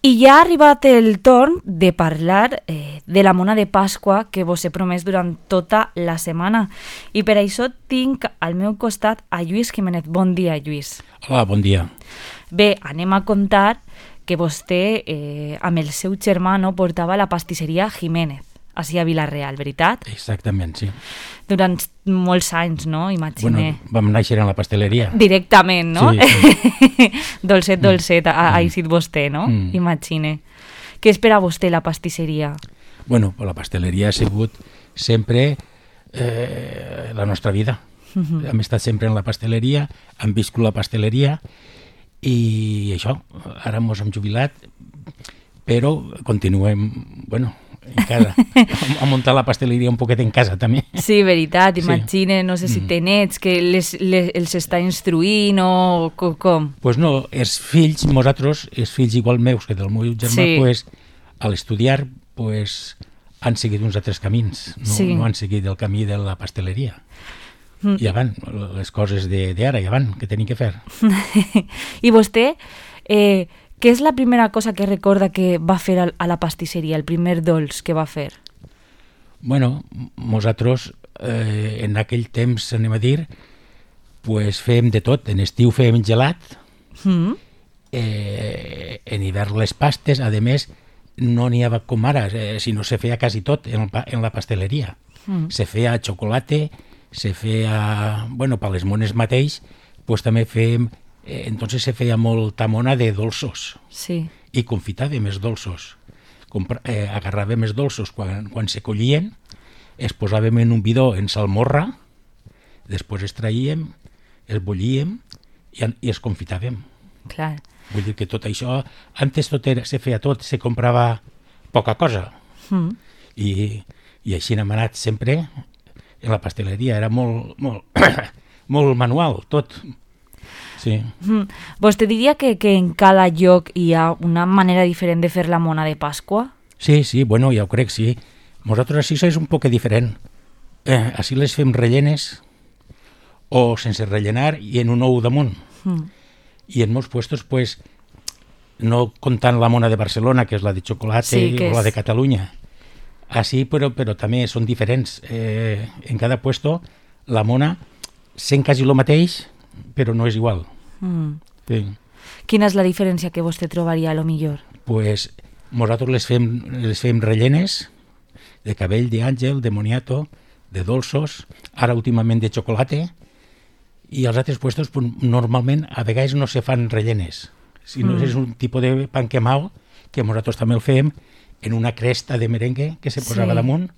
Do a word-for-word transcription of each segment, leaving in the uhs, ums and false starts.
I ja ha arribat el torn de parlar eh, de la mona de Pasqua que vos he promès durant tota la setmana. I per això tinc al meu costat a Lluís Jiménez. Bon dia, Lluís. Hola, bon dia. Bé, anem a contar que vostè, eh, amb el seu germà, no, portava la pastisseria Jiménez, així a Vila-real, veritat? Exactament, sí. Durant molts anys, no? Imagine. Bueno, vam néixer en la pasteleria. Directament, no? Sí, sí. dolcet, dolcet, ha, ha eixit vostè, no? Mm. Imagine. Què espera vostè la pastisseria? Bueno, la pasteleria ha sigut sempre eh, la nostra vida. Uh-huh. Hem estat sempre en la pasteleria, hem viscut la pasteleria i això, ara mos hem jubilat, però continuem, bueno, encara, a muntar la pasteleria un poquet en casa també. Sí, veritat, imagine, sí. No sé si té nets, que les, les, els està instruint o com? com? Pues no, els fills, nosaltres, els fills igual meus que del meu germà, sí. pues, a l'estudiar, pues, han seguit uns altres camins, no, sí. no han seguit el camí de la pasteleria. Mm. Ja van, les coses d'ara, ja van, que tenim que fer. I vostè, eh, què és la primera cosa que recorda que va fer a la pastisseria, el primer dolç que va fer? Bueno, nosaltres eh, en aquell temps, anem a dir, pues fèiem de tot. En estiu fèiem gelat, mm. eh, en hivern les pastes, a més, no n'hi havia com ara, eh, sinó se feia quasi tot en, en la pasteleria. Mm. Se feia xocolate, se feia, bueno, per les mones mateix, pues també fèiem, eh, entonces se feia molta mona de dolços. Sí. I confitàvem els dolços. Compra, eh, agarràvem els dolços quan, quan se collien, es posàvem en un bidó en salmorra, després es traíem, els bullíem i, i els confitàvem. Clar. Vull dir que tot això, antes tot era, se feia tot, se comprava poca cosa. Mm. I, i així hem anat sempre en la pasteleria, era molt, molt, molt manual, tot. Sí. Mm. Vostè diria que, que en cada lloc hi ha una manera diferent de fer la mona de Pasqua? Sí, sí, bueno, ja ho crec, sí. Nosaltres així és un poc diferent. Eh, així les fem rellenes o sense rellenar i en un ou damunt. Mm. I en molts puestos, pues, no comptant la mona de Barcelona, que és la de xocolate, sí, o és... la de Catalunya. Així, però, però també són diferents. Eh, en cada puesto, la mona sent quasi el mateix, però no és igual. Mm. Sí. Quina és la diferència que vostè trobaria, a lo millor? Pues, nosaltres les fem, les fem rellenes de cabell d'àngel, de moniato, de dolços, ara últimament de xocolate, i als altres puestos pues, normalment a vegades no se fan rellenes, sinó mm. és un tipus de pan quemao que nosaltres també el fem en una cresta de merengue que se posava sí. damunt,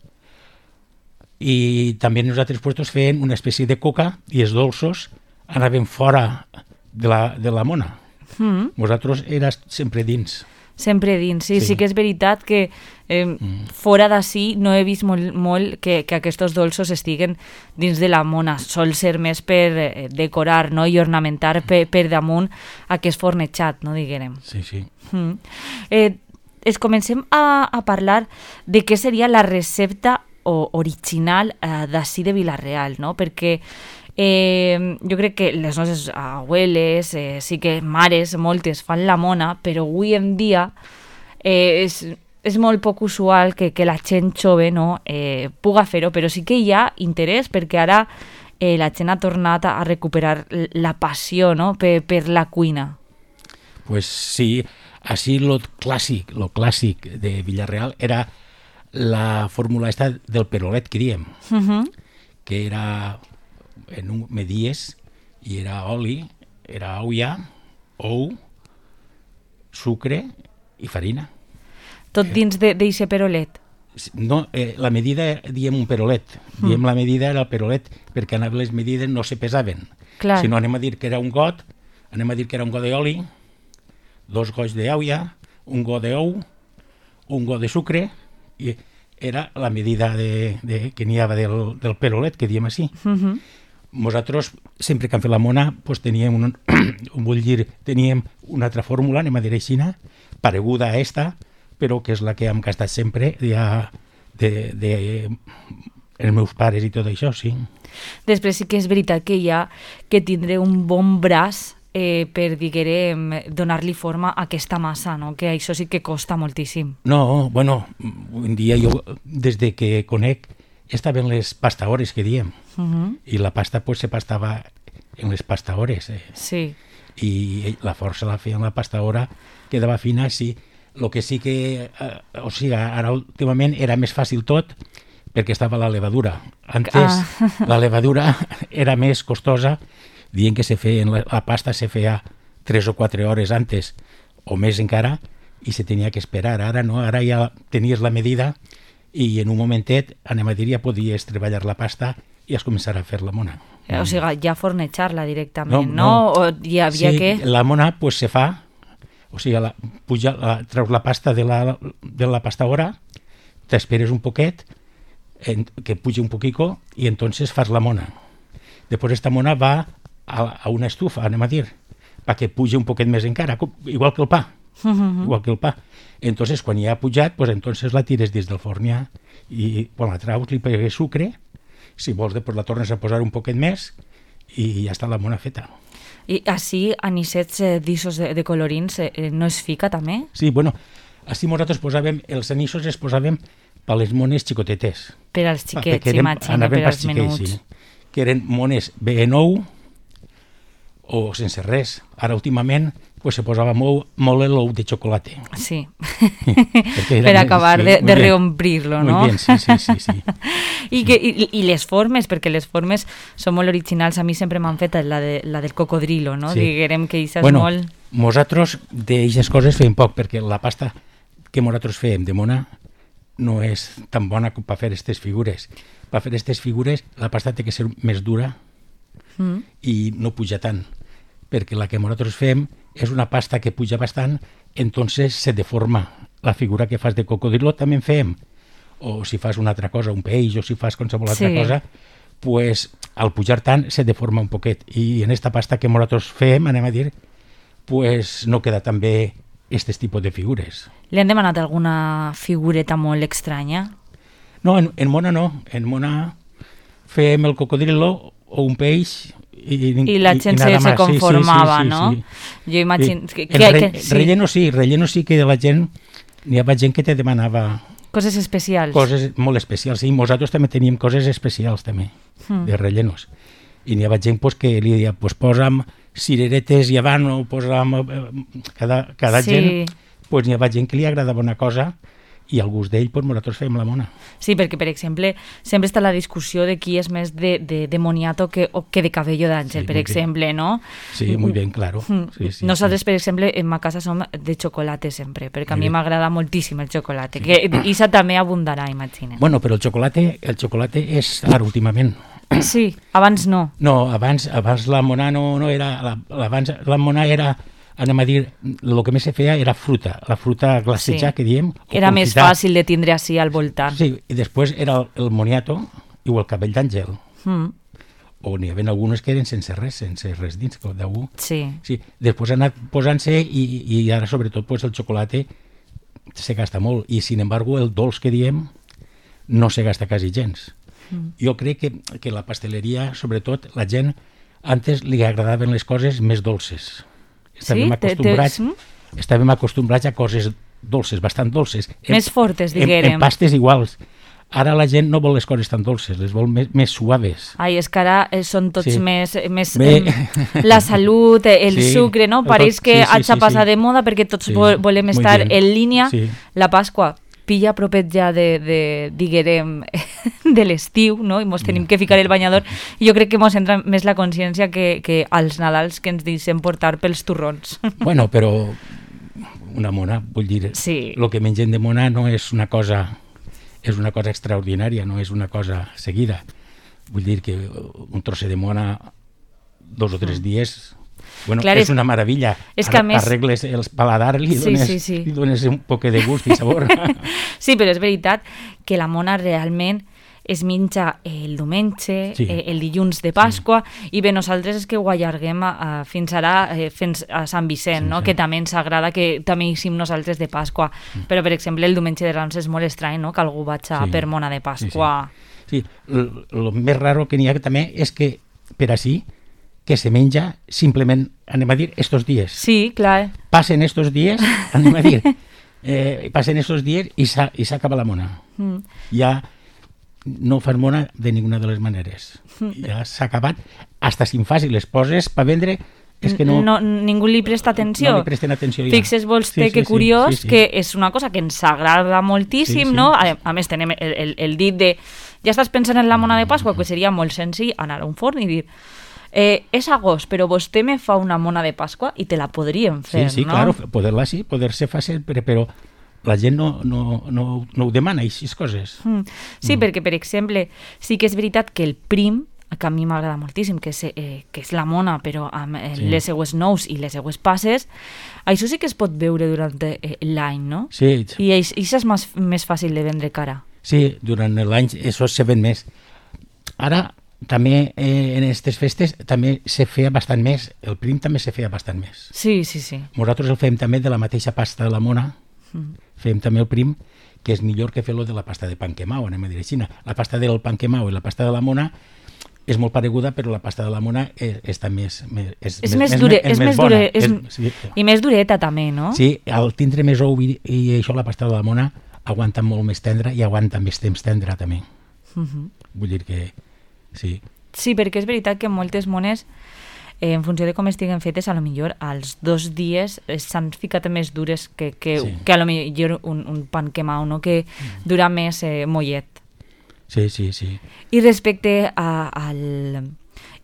i també en els altres puestos feien una espècie de coca i els dolços anaven fora de la, de la mona. Mm. Nosaltres era sempre dins. Sempre dins, sí, sí, sí que és veritat que eh, mm. fora d'ací no he vist molt, molt que, que aquests dolços estiguen dins de la mona, sol ser més per eh, decorar, no?, i ornamentar per, per damunt aquest fornejat, no diguem. Sí, sí. Mm. Eh, es comencem a, a parlar de què seria la recepta o, original eh, d'ací de Vila-real, no?, perquè Eh, jo crec que les nostres abueles, eh, sí que mares, moltes fan la mona, però avui en dia eh, és, és molt poc usual que, que la gent jove, no, eh, puga fer-ho, però sí que hi ha interès perquè ara eh, la gent ha tornat a recuperar la passió, no?, per, per la cuina. Pues sí, així lo clàssic, lo clàssic de Vila-real era la fórmula esta del perolet que diem, uh-huh. que era... en un medies i era oli, era olla, ou, sucre i farina. Tot dins d'aquest perolet? No, eh, la medida diem un perolet, mm. diem la medida era el perolet perquè les medides no se pesaven. Clar. Si no anem a dir que era un got, anem a dir que era un got d'oli, dos gots d'olla, un got d'ou, un got de sucre, i era la medida de, de, que n'hi havia del, del perolet, que diem així. Mm-hmm. Nosaltres, sempre que hem fet la mona, pues, teníem, un, vull dir, teníem una altra fórmula, anem a dir així, pareguda a esta, però que és la que hem gastat sempre ja de, de els meus pares i tot això, sí. Després sí que és veritat que hi ha que tindre un bon braç eh, per, diguem, donar-li forma a aquesta massa, no? Que això sí que costa moltíssim. No, bueno, un dia jo, des de que conec, estaven les pastaores que diem, uh -huh. i la pasta pues, se pastava en les pastaores. Eh? Sí. I la força la feia en la pastaora, quedava fina, sí. El que sí que, eh, o sigui, ara últimament era més fàcil tot, perquè estava la levadura. Antes ah. la levadura era més costosa, dient que se feia, la, la pasta se feia tres o quatre hores antes, o més encara, i se tenia que esperar. Ara no, ara ja tenies la medida i en un momentet, anem a dir, ja podies treballar la pasta i has començar a fer la mona. O sigui, ja fornejar-la directament, no? no? O hi havia sí, que... la mona pues, se fa, o sigui, la, puja, la, treus la pasta de la, de la pastaora, t'esperes un poquet, en, que pugi un poquito, y entonces fas la mona. Después esta mona va a, a una estufa, anem a dir, para que pugi un poquet més encara, igual que el pa. Uh-huh. Igual que el pa. Entonces, quan ja ha pujat, pues, entonces la tires dins del forn ja, i quan la traus li pegues sucre, si vols després la tornes a posar un poquet més i ja està la mona feta. I així, anisets eh, d'issos de, de colorins, eh, no es fica també? Sí, bueno, així nosaltres posàvem, els anissos els posàvem per les mones xicotetes. Per als xiquets, imagina, per als menuts. Sí, que eren mones B nou o sense res. Ara, últimament, pues, se posava molt, molt l'ou de xocolata. Sí, per acabar sí, de, de reomplir-lo, no? Muy bien, sí, sí, sí. sí. I, que, i, I les formes, perquè les formes són molt originals, a mi sempre m'han fet la, de, la del cocodrilo, no? Sí. Diguem que això és bueno, molt... Nosaltres d'aixes coses fem poc, perquè la pasta que nosaltres fem de mona no és tan bona com per fer aquestes figures. Per fer aquestes figures la pasta té que ser més dura mm. i no puja tant, perquè la que nosaltres fem és una pasta que puja bastant, entonces se deforma. La figura que fas de cocodrilo també en fem, o si fas una altra cosa, un peix, o si fas qualsevol altra sí. cosa, pues al pujar tant se deforma un poquet. I en esta pasta que nosaltres fem, anem a dir, pues no queda tan bé aquest tipus de figures. Li han demanat alguna figureta molt estranya? No, en, en mona no. En mona fem el cocodrilo o un peix i, i la gent i, i se, se conformava, sí, sí, sí, no? Sí. Jo imagino... Sí. Que, que, re, que, sí. Relleno sí, relleno sí que la gent, hi havia gent que te demanava... Coses especials. Coses molt especials, sí. Nosaltres també teníem coses especials, també, mm. de rellenos. I n'hi havia gent pues, que li deia, pues, posa'm cireretes i habano, posa'm... Cada, cada sí. gent, pues, n'hi havia gent que li agradava una cosa i al gust d'ell, pues, nosaltres fèiem la mona. Sí, perquè, per exemple, sempre està la discussió de qui és més de, de, de moniato que, o que de cabello d'àngel, sí, per exemple, bien. No? Sí, molt bé, claro. Sí, sí, Nosaltres, sí. per exemple, en ma casa som de xocolate sempre, perquè a mi m'agrada moltíssim el xocolate, sí. que Isa també abundarà, imagina. Bueno, però el xocolate, el xocolate és ara últimament. Sí, abans no. No, abans, abans la mona no, no era... La, abans la mona era... anem a dir, el que més se feia era fruta, la fruta glaceja, sí. que diem. Era més fàcil de tindre així al voltant. Sí, i després era el, el moniato i el cabell d'àngel. Mm. O n'hi havia algunes que eren sense res, sense res dins, d'algú. Sí. sí. Després ha anat posant-se i, i ara sobretot pues, el xocolate se gasta molt i sin embargo el dolç que diem no se gasta quasi gens. Mm. Jo crec que, que la pasteleria, sobretot la gent, antes li agradaven les coses més dolces. Estàvem, sí? acostumbrats, te, te... estàvem acostumbrats a coses dolces, bastant dolces. Més en, fortes, diguérem. En, en pastes iguals. Ara la gent no vol les coses tan dolces, les vol més, més suaves. Ai, és que ara eh, són tots sí. més... més eh, la salut, el sí, sucre, no? Pareix que sí, sí, haig de passar sí, sí. de moda perquè tots sí, volem estar bien. En línia. Sí. La Pasqua pilla propet ja de, de diguérem, de l'estiu, no? I mos tenim que ficar el banyador. I jo crec que mos entra més la consciència que, que als Nadals que ens deixem portar pels turrons. Bueno, però una mona, vull dir, sí. el que mengem de mona no és una cosa, és una cosa extraordinària, no és una cosa seguida. Vull dir que un trosset de mona dos o tres dies... Bueno, Clar, és, és una meravella. És que a més... Arregles el paladar, li dones, sí, sí, sí. li dones un poc de gust i sabor. Sí, però és veritat que la mona realment es menja el diumenge, sí. eh, el dilluns de Pasqua, sí. i bé, nosaltres és que ho allarguem a, a, fins ara, eh, fins a Sant Vicent, sí, no? Sí. Que també ens agrada, que també hi sim nosaltres de Pasqua. Mm. Però, per exemple, el diumenge de Rams és molt estrany, no? Que algú vaig a sí. per mona de Pasqua. Sí, sí. sí. El més raro que n'hi ha també és que per així que se menja simplement, anem a dir, estos dies. Sí, clar. Passen estos dies, anem a dir, eh, passen estos dies i s'acaba la mona. Mm. Ja no fas mona de ninguna de les maneres. Ja s'ha acabat. Hasta si en fas i les poses per vendre, és que no... no ningú li presta atenció. No li presten atenció ja. Fixes vostè sí, sí, que curiós, sí, sí, sí. que és una cosa que ens agrada moltíssim, sí, sí. no? A, a més, tenem el, el, el dit de... Ja estàs pensant en la mona de Pasqua, que seria molt senzill anar a un forn i dir eh, és agost, però vostè me fa una mona de Pasqua i te la podríem fer, sí, sí, no? Claro, poder-la sí, poder-se fer sempre, però la gent no, no, no, no ho demana, aquestes coses. Mm. Sí, mm. perquè, per exemple, sí que és veritat que el prim, que a mi m'agrada moltíssim, que és, eh, que és la mona, però amb eh, sí. les seues nous i les seues passes, això sí que es pot veure durant eh, l'any, no? Sí. I això és més, més fàcil de vendre cara. Sí, durant l'any això se ven més. Ara, també eh, en aquestes festes també se feia bastant més, el prim també se feia bastant més. Sí, sí, sí. Nosaltres el fem també de la mateixa pasta de la mona, mm. fem també el prim, que és millor que fer-lo de la pasta de panquemao, anem a dir així. La pasta del panquemao i la pasta de la mona és molt pareguda, però la pasta de la mona és, està més, més, és, és més, dure, és, és més bona. Dure, és, és, sí. I més dureta també, no? Sí, al tindre més ou i, i això la pasta de la mona aguanta molt més tendra i aguanta més temps tendra també. Uh-huh. Vull dir que sí. Sí, perquè és veritat que moltes mones, eh, en funció de com estiguen fetes, a lo millor als dos dies s'han ficat més dures que, que, sí. que a lo millor un, un pan quemau, no? Que mm. dura més eh, mollet. Sí, sí, sí. I respecte a, al...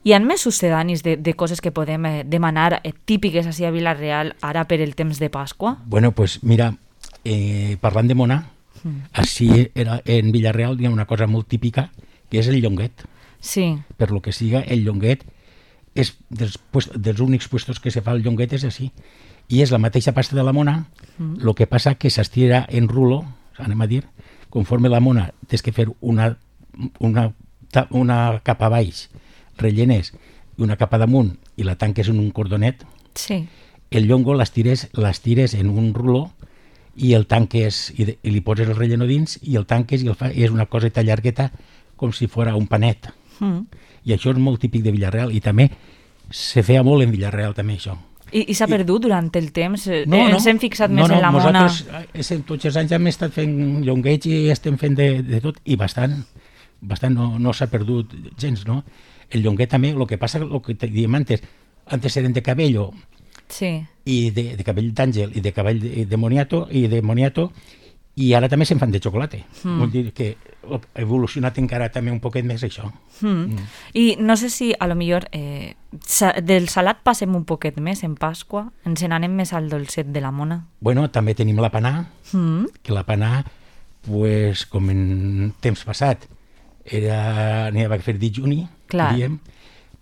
Hi ha més succedanis de, de coses que podem eh, demanar eh, típiques així a Vila-real ara per el temps de Pasqua? Bueno, pues mira, eh, parlant de mona, mm. així era, en Vila-real hi ha una cosa molt típica, que és el llonguet. Sí. Per lo que siga, el llonguet és dels, pues, dels únics puestos que se fa el llonguet és així. I és la mateixa pasta de la mona, mm. lo que passa que s'estira en rulo, anem a dir, conforme la mona tens que fer una, una, una capa baix, rellenes, i una capa damunt, i la tanques en un cordonet, sí. el llongo l'estires, l'estires en un ruló i el tanques, i, de, i li poses el relleno dins, i el tanques i el fa, i és una coseta llargueta com si fora un panet. Mm. I això és molt típic de Vila-real, i també se feia molt en Vila-real també això. I, i s'ha perdut durant el temps? No, no, ens hem fixat no, més no, en la mona? Nosaltres tots els anys hem estat fent llongueig i estem fent de, de tot, i bastant, bastant no, no s'ha perdut gens, no? El llonguet també, el que passa, el que diem antes, antes eren de cabello, sí. i de, de cabell d'àngel, i de cabell de, de moniato, i de moniato, i ara també se'n fan de xocolata. Mm. Vull dir que ha evolucionat encara també un poquet més això. Mm. Mm. I no sé si a lo millor eh, sa, del salat passem un poquet més en Pasqua, ens n'anem més al dolcet de la mona. Bueno, també tenim la panà, mm. que la panà, pues, com en temps passat, era, n'hi havia que fer dijuni, diem,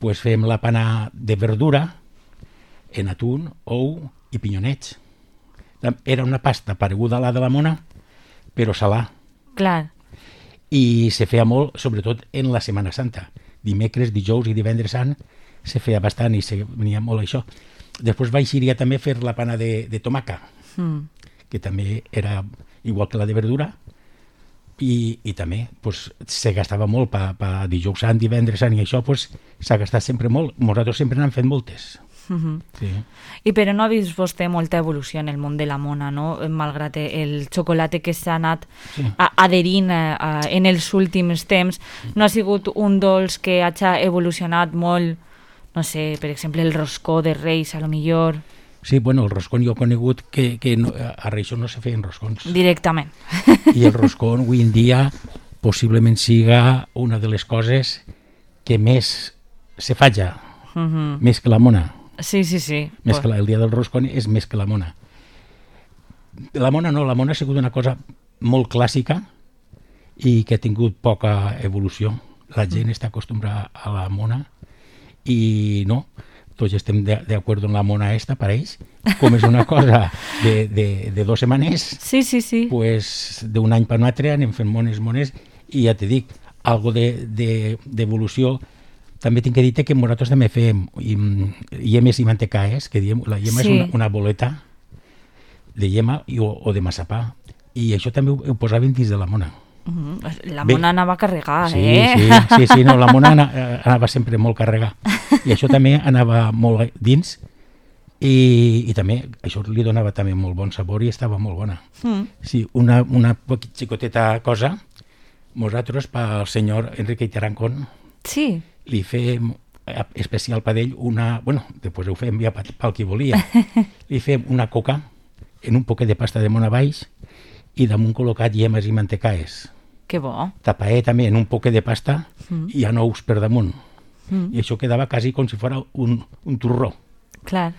pues fem la panà de verdura, en atún, ou i pinyonets. Era una pasta pareguda a la de la mona, però salà. Clar. I se feia molt, sobretot en la Setmana Santa. Dimecres, dijous i divendres sant se feia bastant i se venia molt això. Després vaig també fer la pana de, de tomaca, mm. que també era igual que la de verdura, i, i també pues, se gastava molt per pa dijous sant, divendres sant, i això pues, s'ha gastat sempre molt. Nosaltres sempre n'hem fet moltes. Uh-huh. Sí. I però no ha vist vostè molta evolució en el món de la mona, no? Malgrat el xocolata que s'ha anat sí. adherint a, a, en els últims temps, no ha sigut un dolç que hagi evolucionat molt, no sé, per exemple el roscó de Reis, a lo millor. Sí, bueno, el roscón jo he conegut que, que no, a Reis no se feien roscons. Directament. I el roscón avui en dia possiblement siga una de les coses que més se falla, uh-huh. més que la mona. Sí, sí, sí. Més que la, el dia del roscón és més que la mona. La mona no, la mona ha sigut una cosa molt clàssica i que ha tingut poca evolució. La gent mm. està acostumbrada a la mona i no, tots estem d'acord en la mona esta, pareix, com és una cosa de, de, de dues setmanes, sí, sí, sí. Pues, d'un any per un altre anem fent mones, mones, i ja te dic, algo d'evolució. De, de, també tinc que dir que nosaltres també fem llemes i mantecaes, que diem, la llema sí. és una, una boleta de llema i, o, o de massapà, i això també ho, ho posàvem dins de la mona. Uh-huh. La mona Bé, anava a carregar, sí, eh? Sí, sí, sí, no, la mona anava sempre molt carregada. I això també anava molt dins i, i també això li donava també molt bon sabor i estava molt bona. Mm. Sí, una, una xicoteta cosa, nosaltres pel senyor Enrique Tarancón sí. li fem especial per ell una, bueno, després ho fem ja pel qui volia, li fem una coca en un poquet de pasta de mona baix i damunt col·locat llemes i mantecaes. Que bo. Tapaé també en un poquet de pasta mm. i a nous per damunt. Mm. I això quedava quasi com si fos un, un turró. Clar.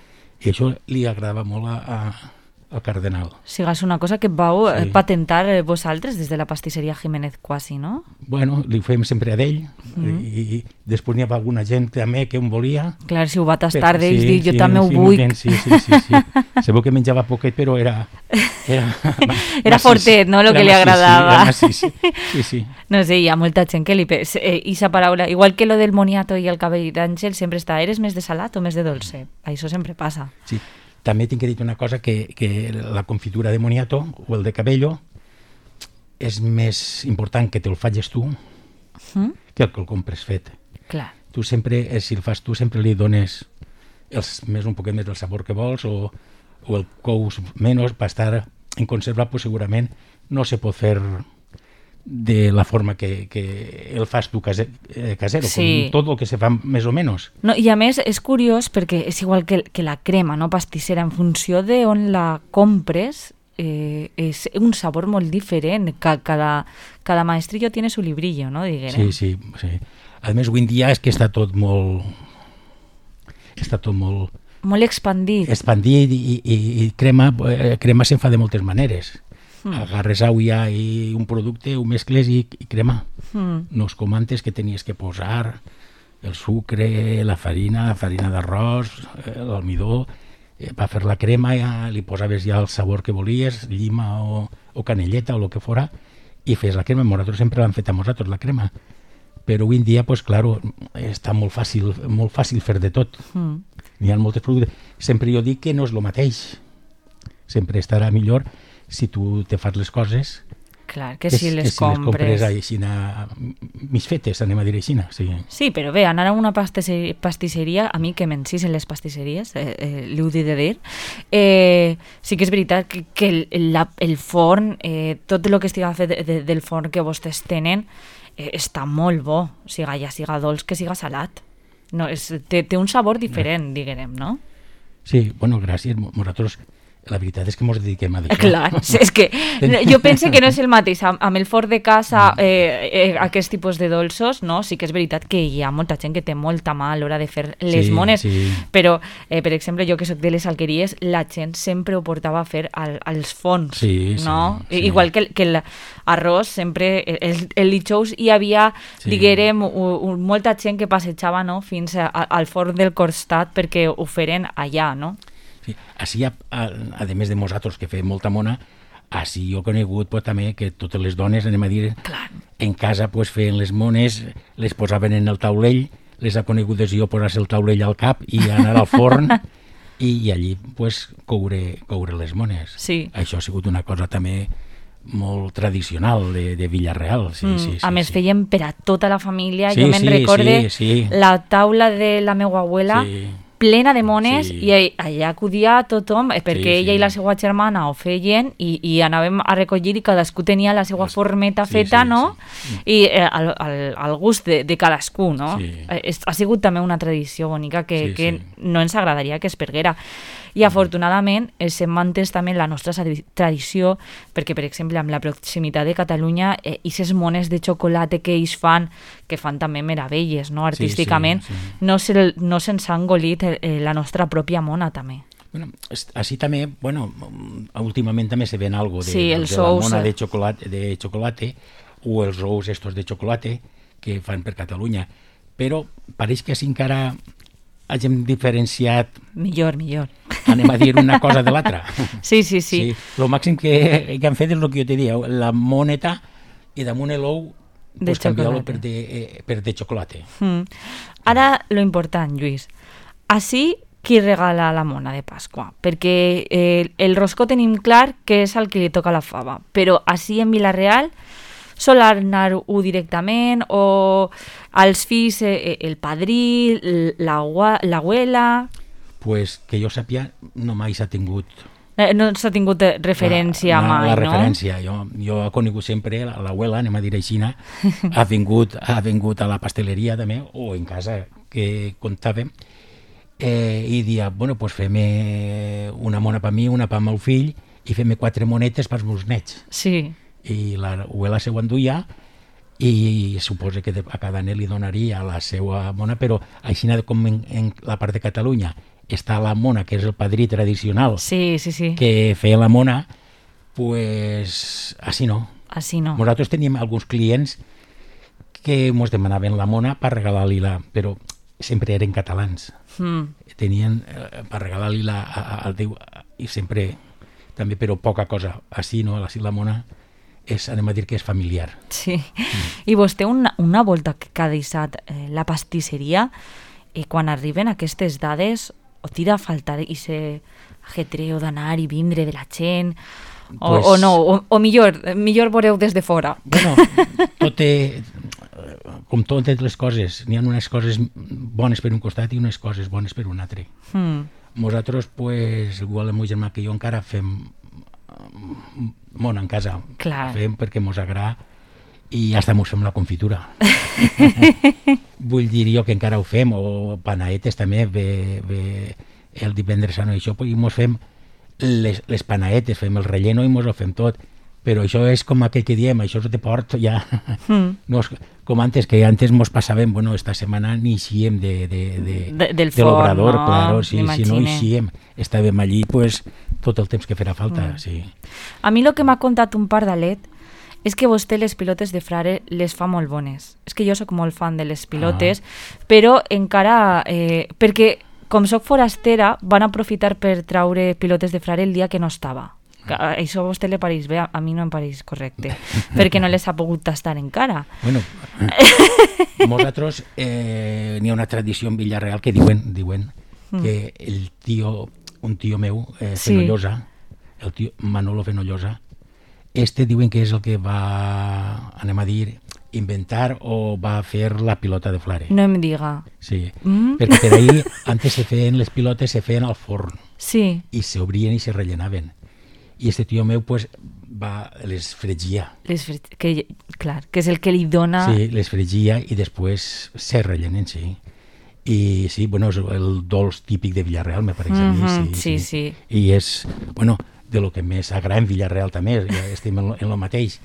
I això li agradava molt a, a, al cardenal. Sigues una cosa que vau sí. patentar vosaltres des de la pastisseria Jiménez quasi, no? Bueno, li fem sempre a d'ell mm. i, i després n'hi havia alguna gent també que em volia. Clar, si ho va tastar d'ells, sí, dir, jo sí, també ho sí, vull. Bien, sí, sí, sí, sí. Sabeu que menjava poquet, però era... Era, era fortet, no?, el que li agradava. Sí, sí, sí, sí. No sé, hi ha molta gent que li... Eh, esa paraula, igual que lo del moniato i el cabell d'àngel, sempre està, eres més de salat o més de dolce? Això sempre passa. Sí. També tinc que dir una cosa, que, que la confitura de moniato o el de cabello és més important que te'l facis tu mm? que el que el compres fet. Clar. Tu sempre, si el fas tu, sempre li dones els, més un poquet més del sabor que vols o, o el cous menys per estar en conserva, pues segurament no se pot fer de la forma que, que el fas tu caser, eh, casero, sí. com tot el que se fa més o menys. No, i a més és curiós perquè és igual que, que la crema, no, pastissera, en funció de on la compres, eh, és un sabor molt diferent. Cada, cada maestrillo tiene su librillo, no, diguem. Sí, sí, sí. A més, avui en dia és que està tot molt... Està tot molt... Molt expandit. Expandit i, i, i crema, eh, crema se'n fa de moltes maneres. Mm. Agarres aigua i un producte, ho mescles i, i crema. Mm. No es comantes que tenies que posar el sucre, la farina, la farina d'arròs, l'almidó, eh, per fer la crema ja li posaves ja el sabor que volies, llima o, o canelleta o el que fora, i fes la crema. Nosaltres sempre l'hem fet a nosaltres, la crema. Però avui en dia, pues, claro, està molt fàcil, molt fàcil fer de tot. Mm. N'hi ha moltes productes. Sempre jo dic que no és el mateix. Sempre estarà millor si tu te fas les coses clar, que, que si les que compres, si les compres mig fetes, anem a dir així. Sí. Sí, però bé, anar a una pastisseria, pastisseria a mi que m'encís en les pastisseries, eh, eh, l'he dit de dir, eh, sí que és veritat que, que el, la, el forn, eh, tot el que estiga fet de, de, del forn que vostès tenen, eh, està molt bo, siga ja siga dolç que siga salat. No, és, té, té un sabor diferent, no. diguem, no? Sí, bueno, gràcies. Nosaltres, la veritat és que ens dediquem a això. Clar, és que jo penso que no és el mateix amb, amb el forn de casa, eh, eh, aquest tipus de dolços, no? Sí que és veritat que hi ha molta gent que té molta mà a l'hora de fer les sí, mones, sí. però, eh, per exemple, jo que soc de les alqueries, la gent sempre ho portava a fer al, als forns, sí, no? Sí, sí. Igual que, que l'arròs, sempre, el, el dijous hi havia, sí. diguem, u, u, molta gent que passejava, no?, fins a, a, al forn del costat perquè ho feren allà, no? Sí. Així, a, a, a més de nosaltres que fem molta mona, així jo he conegut pues, també que totes les dones, anem a dir, clar. En casa pues, feien les mones, les posaven en el taulell, les ha conegudes jo posar-se el taulell al cap i anar al forn i, i allí pues, coure, coure les mones. Sí. Això ha sigut una cosa també molt tradicional de, de Villarreal. Sí, mm, sí, sí, a més sí. feien per a tota la família, sí, jo me'n sí, recorde sí, sí. la taula de la meva abuela, sí. plena de mones, sí. i allà acudia tothom, perquè sí, ella sí. i la seva germana ho feien i, i anàvem a recollir i cadascú tenia la seva formeta sí, feta, sí, no? Sí. I eh, al, al, al gust de, de cadascú, no? Sí. Eh, ha sigut també una tradició bonica que, sí, que sí. no ens agradaria que es perguera. I afortunadament s'ha mantès també la nostra tradició, perquè per exemple amb la proximitat de Catalunya eh, i ces mones de xocolata que ells fan, que fan també meravelles, no? Artísticament, sí, sí, sí. no se'ls no se ha engolit eh, la nostra pròpia mona també. Bueno, així també, bueno, últimament també se ven algo de, sí, de, de la mona de xocolata, de xocolata o els ous estos de xocolata que fan per Catalunya, però pareix que així encara hagin diferenciat... Millor, millor. Anem a dir una cosa de l'altra. Sí, sí, sí. sí. El màxim que, que han fet és el que jo te dia, la moneta i damunt l'ou pues, canviar-lo per, de, eh, per de xocolata. Mm. Ara, lo important, Lluís. Així, qui regala la mona de Pasqua? Perquè eh, el roscó tenim clar que és el que li toca la fava, però així en Vila-real sol anar-ho directament o als fills eh, el padrí, l'abuela... Pues que jo sàpia, no mai s'ha tingut... Eh, no s'ha tingut referència la, la, mai, la no? La referència. Jo, jo he conegut sempre l'abuela, anem a dir així, ha vingut, ha vingut a la pasteleria també, o en casa que comptàvem, eh, i dia, bueno, pues fem una mona per mi, una per meu fill, i fem quatre monetes pels meus nets. Sí. I l'abuela se ho enduia, i suposa que a cada net li donaria la seva mona, però així com en, en la part de Catalunya està la mona, que és el padrí tradicional, sí, sí, sí. que feia la mona, pues així no. Així no. Nosaltres teníem alguns clients que ens demanaven la mona per regalar-li la, però sempre eren catalans. Mm. Tenien eh, per regalar-li la al Déu, i sempre també, però poca cosa. Així no, així la mona és, anem a dir que és familiar. Sí. Mm. I vostè una, una volta que ha deixat eh, la pastisseria, eh, quan arriben aquestes dades, o tira a faltar aquest ajetreo d'anar i vindre de la gent, o, pues, o no, o, o millor, millor veureu des de fora. Bueno, tot té, com totes les coses, n'hi ha unes coses bones per un costat i unes coses bones per un altre. Mm. Nosaltres, pues, igual el meu germà que jo encara fem mona en casa. Clar. Fem perquè mos agrada i hasta mos fem la confitura. Vull dir jo que encara ho fem, o panaetes també, ve, ve el divendres sant i això, i mos fem les, les panaetes, fem el relleno i mos ho fem tot, però això és com aquell que diem, això és de port ja, mm. no és com antes, que antes mos passàvem, bueno, esta setmana ni eixíem de, de, de, de, del de l'obrador, no? Claro, si, si no eixíem, estàvem allí, pues, tot el temps que farà falta, mm. sí. A mi el que m'ha contat un pardalet és que vostè les pilotes de frare les fa molt bones. És que jo sóc molt fan de les pilotes, ah. però encara... Eh, perquè, com sóc forastera, van aprofitar per traure pilotes de frare el dia que no estava. Que, això a vostè li pareix bé, a mi no em pareix correcte, perquè no les ha pogut tastar encara. Bueno, nosaltres eh, n'hi ha una tradició en Villarreal que diuen, diuen mm. que el tio, un tio meu, eh, Fenollosa, sí. el tio Manolo Fenollosa, este diuen que és el que va, anem a dir, inventar o va fer la pilota de flare. No em diga. Sí, mm. perquè per ahí antes se feien les pilotes, se feien al forn. Sí. I se obrien i se rellenaven. I este tio meu, pues, va, les fregia. Les fre... que, clar, que és el que li dona... Sí, les fregia i després se rellenen, sí. I sí, bueno, és el dolç típic de Villarreal, me pareix a mi. Mm-hmm, sí, sí, sí. sí. I és, bueno, de lo que més agrada en Villarreal també, ja estem en el mateix.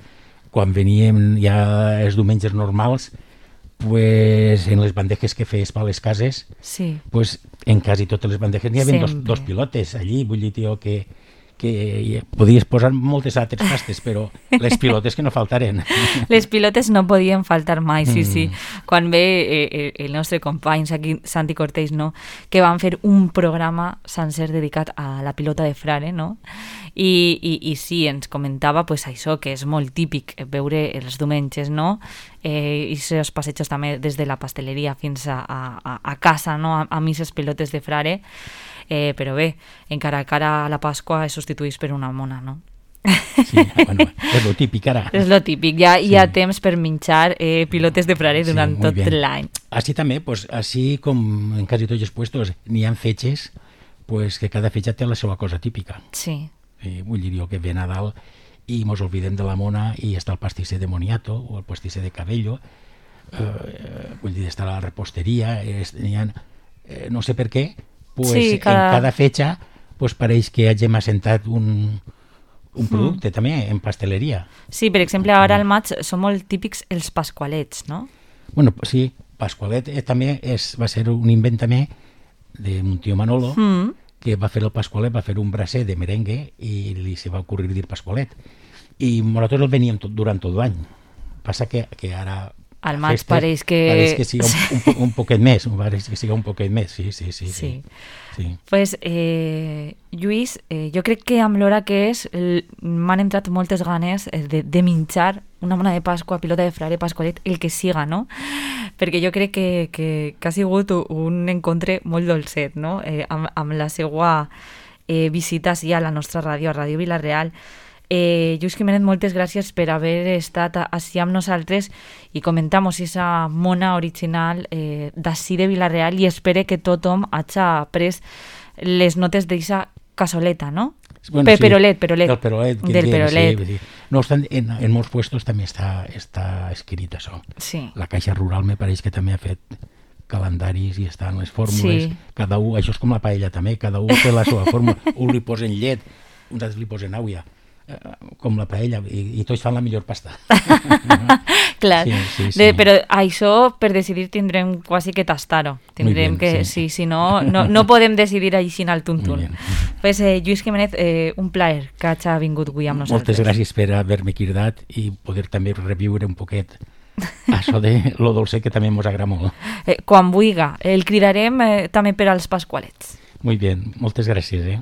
Quan veníem ja els diumenges normals, pues, en les bandejes que feies per les cases, sí. pues, en quasi totes les bandejes n'hi havia dos, dos pilotes allí, vull dir, tio, que, que podies posar moltes altres pastes, però les pilotes que no faltaren. Les pilotes no podien faltar mai, sí, sí. Quan ve eh, el nostre company Santi Cortés, no?, que van fer un programa sencer dedicat a la pilota de frare, no?, I, i, i sí, ens comentava pues, això, que és molt típic veure els diumenges, no?, eh, i els passejos també des de la pasteleria fins a, a, a casa, no?, a, a misses pilotes de frare, eh, però bé, encara cara a la Pasqua es substitueix per una mona, no? Sí, bueno, és lo típic ara. És lo típic, ja sí. Hi ha temps per menjar eh, pilotes de frare durant sí, tot l'any. Així també, pues, així com en quasi tots els puestos n'hi ha fetges, pues, que cada fetge té la seva cosa típica. Sí. Eh, vull dir jo que ve Nadal i mos oblidem de la mona i està el pastisser de moniato o el pastisser de cabello, eh, vull dir, està la reposteria, és, ha, eh, no sé per què, pues, sí, cada... en cada fetge pues, pareix que hagin assentat un, un producte mm. també en pasteleria. Sí, per exemple, ara al maig són molt típics els pasqualets, no? Bueno, sí, pasqualet eh, també és, va ser un invent també d'un tio Manolo, mm. que va fer el pasqualet, va fer un bracer de merengue i li se va ocurrir dir pasqualet. I nosaltres el veníem tot, durant tot l'any. Passa que, que ara... Al maig pareix que... Pareix que siga un, un, un poquet més, pareix que siga un poquet més, sí, sí, sí. Sí. sí. Pues, eh, Lluís, eh, jo crec que amb l'hora que és m'han entrat moltes ganes de, de menjar una mona de Pasqua, pilota de frare, pasqualet, el que siga, no? Perquè jo crec que, que, que ha sigut un encontre molt dolcet, no? Eh, amb, amb la seva eh, visita sí, a la nostra ràdio, a Ràdio Vilareal. Eh, Lluís Jiménez, moltes gràcies per haver estat així amb nosaltres i comentamos esa mona original eh, d'ací de Vila-real i espere que tothom hagi pres les notes d'eixa cassoleta, no? Bueno, Pe sí, perolet, perolet. Del perolet. que Del tiene, perolet. sí, sí. No obstant, en, en molts puestos també està, està escrit això. Sí. La Caixa Rural me pareix que també ha fet calendaris i estan les fórmules. Sí. Cada un, això és com la paella també, cada un té la seva fórmula. Un li posen llet, uns altres li posen àuia, eh, com la paella, i, i tots fan la millor pasta. Clar, Sí, sí, sí. De, però això per decidir tindrem quasi que tastar-ho. Tindrem bien, que, sí. sí, si no, no, no podem decidir així al Muy tuntún. bien. Pues, eh, Lluís Jiménez, eh, un plaer que hagi vingut avui amb nosaltres. Moltes gràcies per haver-me cridat i poder també reviure un poquet això de lo dolce que també mos agrada molt. Eh, quan vulga, el cridarem eh, també per als pasqualets. Muy bien, moltes gràcies, eh?